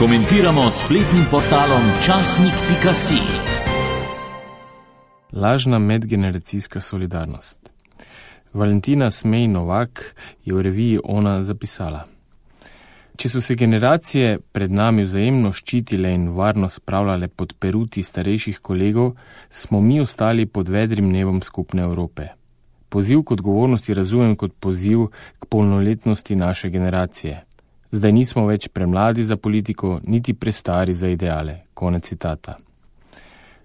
Komentiramo s spletnim portalom časnik.si. Lažna medgeneracijska solidarnost. Valentina Smej Novak je v reviji Ona zapisala: Če so se generacije pred nami vzajemno ščitile in varno spravljale pod peruti starejših kolegov, smo mi ostali pod vedrim nebom skupne Evrope. Poziv k odgovornosti razumem kot poziv k polnoletnosti naše generacije. Zdaj nismo več premladi za politiko, niti prestari za ideale. Konec citata.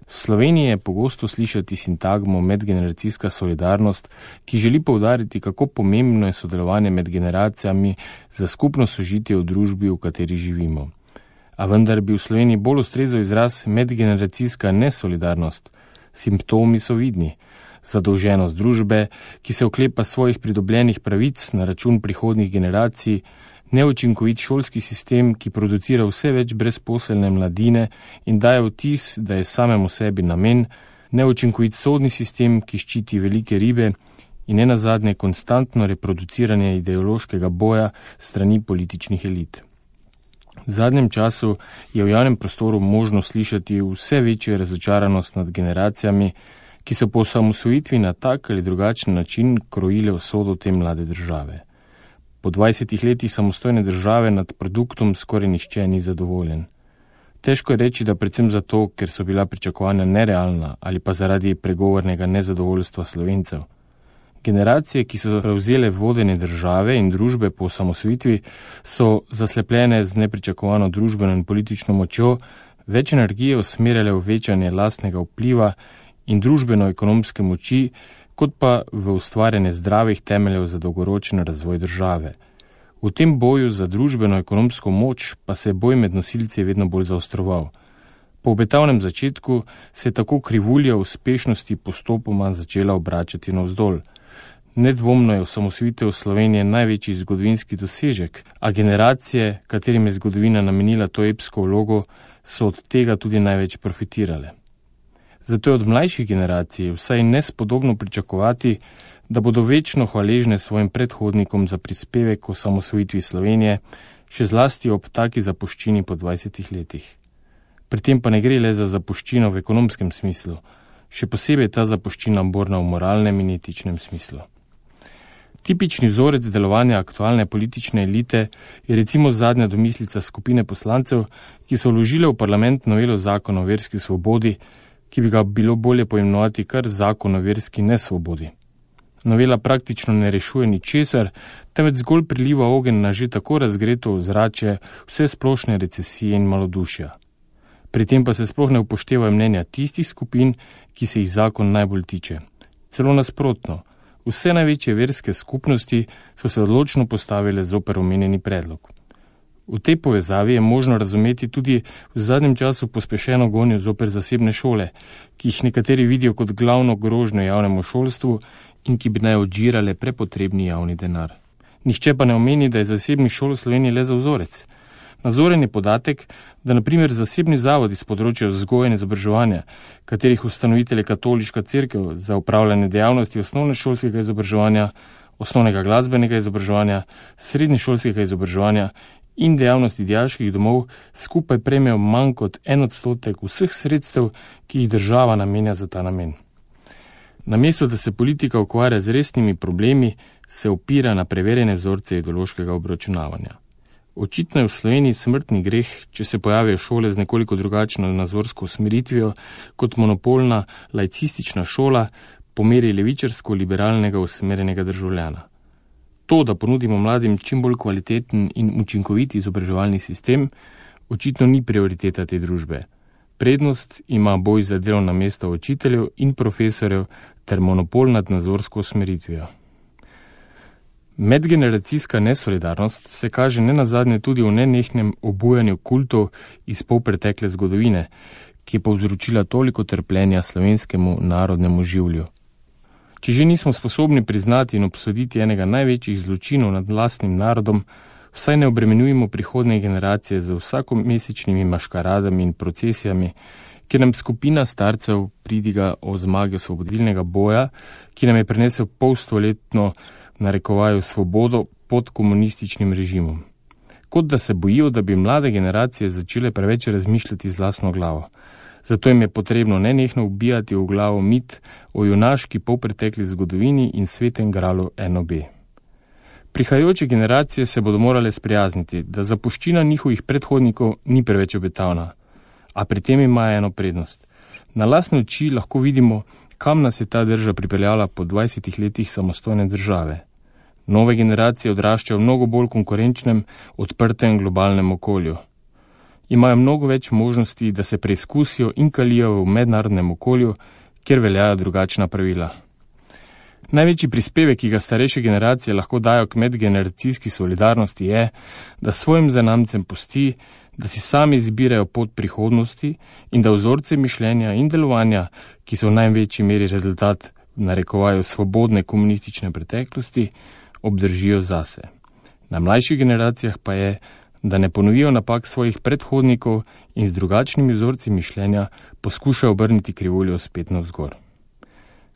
V Sloveniji je pogosto slišati sintagmo medgeneracijska solidarnost, ki želi poudariti, kako pomembno je sodelovanje med generacijami za skupno sožitje v družbi, v kateri živimo. A vendar bi v Sloveniji bolj ustrezal izraz medgeneracijska nesolidarnost. Simptomi so vidni. Zadolženost družbe, ki se oklepa svojih pridobljenih pravic na račun prihodnjih generacij, neučinkovit šolski sistem, ki producira vse več brezposelne mladine in daje vtis, da je samemu sebi namen, neučinkovit sodni sistem, ki ščiti velike ribe in nenazadnje konstantno reproduciranje ideološkega boja strani političnih elit. V zadnjem času je v javnem prostoru možno slišati vse večjo razočaranost nad generacijami, ki so po osamosvojitvi na tak ali drugačen način krojile usodo te mlade države. Po 20 letih samostojne države nad produktom skoraj nihče ni zadovoljen. Težko je reči, da predvsem zato, ker so bila pričakovanja nerealna ali pa zaradi pregovornega nezadovoljstva Slovencev. Generacije, ki so prevzele vodenje države in družbe po osamosvojitvi, so zaslepljene z nepričakovano družbeno in politično močjo, več energije usmerjale v večanje lastnega vpliva in družbeno-ekonomske moči, kot pa v ustvarjanje zdravih temeljev za dolgoročen razvoj države. V tem boju za družbeno-ekonomsko moč pa se je boj med nosilci vedno bolj zaostroval. Po obetavnem začetku se je tako krivulja uspešnosti postopoma začela obračati navzdol. Nedvomno je osamosvojitev Slovenije največji zgodovinski dosežek, a generacije, katerim je zgodovina namenila to epsko vlogo, so od tega tudi največ profitirale. Zato je od mlajših generacij vsaj nespodobno pričakovati, da bodo večno hvaležne svojim predhodnikom za prispevek k osamosvojitvi Slovenije, še zlasti ob taki zapuščini po 20 letih. Pri tem pa ne gre le za zapuščino v ekonomskem smislu, še posebej ta zapuščina borna v moralnem in etičnem smislu. Tipični vzorec delovanja aktualne politične elite je recimo zadnja domislica skupine poslancev, ki so vložile v parlament novelo zakona o verski svobodi, ki bi ga bilo bolje poimenovati kar zakon o verski nesvobodi. Novela praktično ne rešuje ničesar, temveč zgolj priliva ogenj na že tako razgreto ozračje vse splošne recesije in malodušja. Pri tem pa se sploh ne upoštevajo mnenja tistih skupin, ki se jih zakon najbolj tiče. Celo nasprotno, vse največje verske skupnosti so se odločno postavile zoper omenjeni predlog. V tej povezavi je možno razumeti tudi v zadnjem času pospešeno gonjo zoper zasebne šole, ki jih nekateri vidijo kot glavno grožnjo javnemu šolstvu in ki bi naj odžirale prepotrebni javni denar. Nihče pa ne omeni, da je zasebnih šol v Sloveniji le za vzorec. Nazoren je podatek, da na primer zasebni zavodi s področja vzgoje in izobraževanja, katerih ustanovitelj je Katoliška cerkev za upravljanje dejavnosti osnovnošolskega izobraževanja, osnovnega glasbenega izobraževanja, srednješolskega izobraževanja in dejavnosti dijaških domov skupaj prejmejo manj kot 1% vseh sredstev, ki jih država namenja za ta namen. Namesto da se politika ukvarja z resnimi problemi, se opira na preverjene vzorce ideološkega obračunavanja. Očitno je v Sloveniji smrtni greh, če se pojavijo šole z nekoliko drugačno nazorsko usmeritvijo kot monopolna laicistična šola po meri levičarsko-liberalnega usmerjenega državljana. To, da ponudimo mladim čim bolj kvaliteten in učinkovit izobraževalni sistem, očitno ni prioriteta te družbe. Prednost ima boj za delovna mesta učiteljev in profesorjev ter monopol nad nazorsko usmeritvijo. Medgeneracijska nesolidarnost se kaže nenazadnje tudi v nenehnem obujanju kultov iz polpretekle zgodovine, ki je povzročila toliko trpljenja slovenskemu narodnemu življu. Če že nismo sposobni priznati in obsoditi enega največjih zločinov nad lastnim narodom, vsaj ne obremenjujemo prihodnje generacije z vsakomesečnimi maškaradami in procesijami, kjer nam skupina starcev pridiga o zmagi osvobodilnega boja, ki nam je prinesel polstoletno narekovaju svobodo pod komunističnim režimom. kot da se bojijo, da bi mlade generacije začele preveč razmišljati z lastno glavo. Zato jim je potrebno nenehno ubijati v glavo mit o junaški polpretekli zgodovini in svetem gralu NOB. Prihajajoče generacije se bodo morale sprijazniti, da zapuščina njihovih predhodnikov ni preveč obetavna, a pri tem ima eno prednost. Na lastne oči lahko vidimo, kam nas je ta država pripeljala po 20 letih samostojne države. Nove generacije odraščajo v mnogo bolj konkurenčnem, odprtem globalnem okolju. Imajo mnogo več možnosti, da se preizkusijo in kalijo v mednarodnem okolju, kjer veljajo drugačna pravila. Največji prispevek, ki ga starejše generacije lahko dajo k medgeneracijski solidarnosti, je, da svojim zanamcem pusti, da si sami izbirajo pot prihodnosti in da vzorce mišljenja in delovanja, ki so v največji meri rezultat narekovajo svobodne komunistične preteklosti, obdržijo zase. Na mlajših generacijah pa je, da ne ponovijo napak svojih predhodnikov in z drugačnimi vzorci mišljenja poskušajo obrniti krivuljo spet navzgor.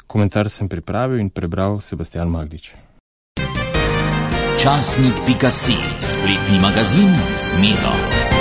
Komentar sem pripravil in prebral Sebastian Magdič. Časnik.si, spletni magazin z Miro.